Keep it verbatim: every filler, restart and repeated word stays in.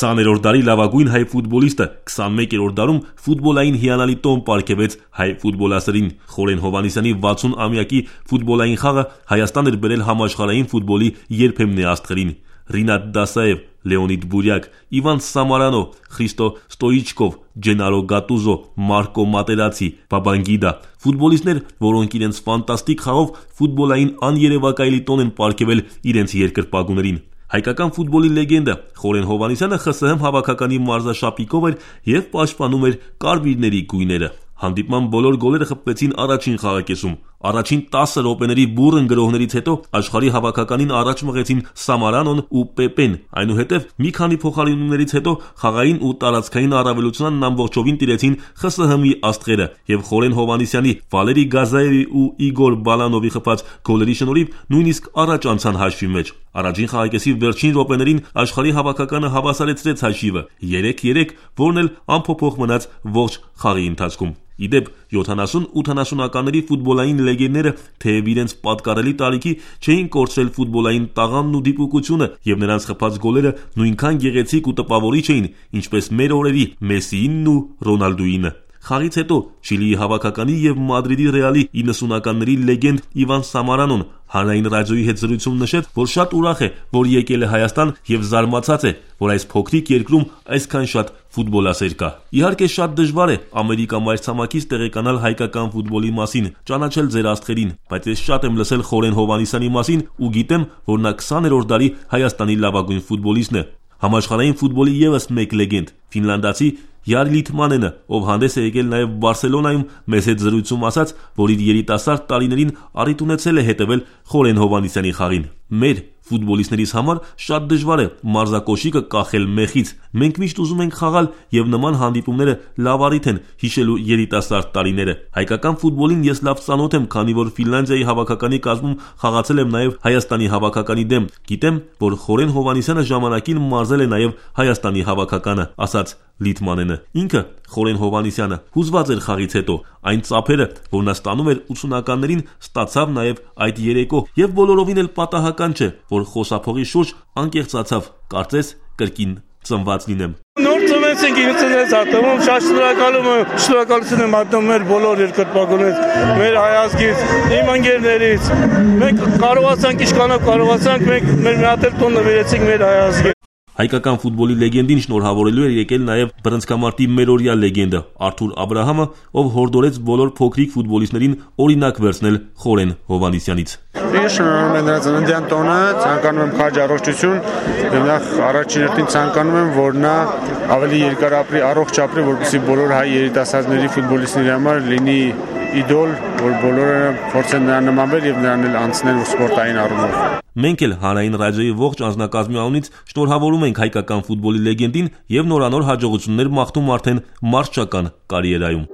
քսաներորդ դարի լավագույն հայ ֆուտբոլիստը քսանմեկերորդ դարում ֆուտբոլային հիանալի տոն պարգևեց հայ ֆուտբոլասերին։ Խորեն Հովհաննիսյանի վաթսուն-ամյակի ֆուտբոլային խաղը Հայաստան էր բերել համաշխարհային ֆուտբոլի երբեմնի աստղերին։ Ռինատ Դասաև, Լեոնիդ Բուրյակ, Իվան Սամարանո, Խրիստո Ստոիչկով, Ջենարո Գատուզո, Մարկո Մատերացի, Բաբանգիդա, ֆուտբոլիստներ, որոնք իրենց ֆանտաստիկ խաղով ֆուտբոլային աներևակայելի տոն են պարգևել իրենց երկրպագուներին։ Հայկական ֆուտբոլի լեգենդը Խորեն Հովհաննիսյանը ԽՍՀՄ հավաքականի մարզաշապիկով էր և պաշտպանում էր կարմիրների գույները։ Հանդիպման բոլոր գոլերը խփվեցին առաջին խաղակեսում։ Առաջին տասը րոպեների բուռն գրոհներից հետո աշխարհի հավաքականին առաջ մղեցին Սամարանոն ու Պեպեն։ Այնուհետև մի քանի փոխարինումներից հետո խաղային ու տարածքային առավելությանն ամբողջովին տիրեցին ԽՍՀՄ-ի աստղերը և Խորեն Հովհաննիսյանի, Վալերի Գազաևի ու Իգոր Բալանովի խփած գոլերի շնորհիվ նույնիսկ առաջ անցան հաշվի մեջ։ Առաջին խաղակեսի վերջին րոպեներին աշխարհի հավաքականը հավասարեցրեց հաշիվը երեք երեք, որն էլ անփոփոխ մնաց ողջ խաղի ընթացքում։ Իդեպ յոթանասուն-ութանասունականների ֆուտբոլային լեգենդները թեև իրենց պատկառելի տարիքի չէին կորցրել ֆուտբոլային տաղանդն ու դիպուկությունը, և նրանց խփած գոլերը նույնքան գեղեցիկ ու տպավորիչ էին, ինչպես մեր օրերի Մեսսիինն ու Ռոնալդուինը։ Խաղից հետո Չիլիի հավաքականի և Մադրիդի Ռեալի իննսունականների լեգենդ Իվան Սամարանոն հանրային ռադիոյի հետ զրույցում նշեց, որ շատ ուրախ է, որ եկել է Հայաստան և զարմացած է, որ այս փոքրիկ երկրում այսքան շատ ֆուտբոլասեր կա։ Իհարկե շատ դժվար է Ամերիկա մայրցամաքից տեղեկանալ հայկական ֆուտբոլի մասին, ճանաչել ձեր աստղերին, բայց ես շատ եմ լսել Խորեն Հովհաննիսյանի մասին ու գիտեմ, որ նա քսաներորդ դարի Հայաստանի լավագույն ֆուտբոլիստն է։ Համաշխարհային ֆուտբոլի ևս մեկ լեգենդ, ֆինլանդացի Յարի Լիթմանենը, ով հանդես է եկել նաև Բարսելոնայում, մեզ հետ զրույցում ասաց, որ իր երիտասարդ տարիներին առիթ ունեցել է հետևել Խորեն Հովհաննիսյանի խաղին։ Մեր ֆուտբոլիստներից համար շատ դժվար է մարզակոշիկը կախել մեխից։ Մենք միշտ ուզում ենք խաղալ, և նման հանդիպումները լավ առիթ են հիշելու երիտասարդ տարիները։ Հայկական ֆուտբոլին ես լավ ծանոթ եմ, քանի որ Ֆինլանդիայի հավաքականի կազմում խաղացել եմ նաև Հայաստանի հավաքականի դեմ։ Գիտեմ, որ Խորեն Հովհաննիսյանը ժամանակին մարզել է նաև Հայաստանի հավաքականը, ասաց Լիթմանենը։ Ինքը Խորեն Հովհաննիսյանը հուզված էր խաղից հետո։ Այն ծափերը, որ նա ստանում էր ութսունականներին, ստացավ նաև այդ երեկո, և բոլորովին էլ պատահական չէ, որ խոսափողի շուրջ անկեղծացավ, կարծես կրկին ծնված լինեմ։ Նոր ծնվեցինք, ինձ էս հատվում, շատ շնորհակալում եմ, շնորհակալություն եմ հայտնում մեր բոլոր երկրպագուներից, մեր հայազգից, իմ ընկերներից։ Մենք կարողացանք, ինչքանով կարողացանք, մենք մեր մի հատ էլ տոն նվիրեցինք մեր հայազգին։ Հայկական ֆուտբոլի լեգենդին շնորհավորելու էր եկել նաև բռնցքամարտի մերօրյա լեգենդը Արթուր Աբրահամը, ով հորդորեց բոլոր փոքրիկ ֆուտբոլիստներին օրինակ վերցնել Խորեն Հովհաննիսյանից։ Ես շնորհում եմ նրա ծննդյան տոնը, ցանկանում եմ քաջ առողջություն, եւ նախ առաջին հերթին ցանկանում եմ, որ նա ավելի երկար ապրի, առողջ ապրի, որպեսզի բոլոր հայ երիտասարդների ֆուտբոլիստների համար լինի իդոլ, որ բոլորը փորձեն նրան նմանվել եւ նրան էլ անցնել սպորտային առումով։ Մենք էլ հանրային ռադիոյի ողջ անձնակազմի անունից շնորհավորում ենք հայկական ֆուտբոլի լեգենդին եւ նորանոր հաջողություններ մաղթում արդեն մարզչական կարիերայում։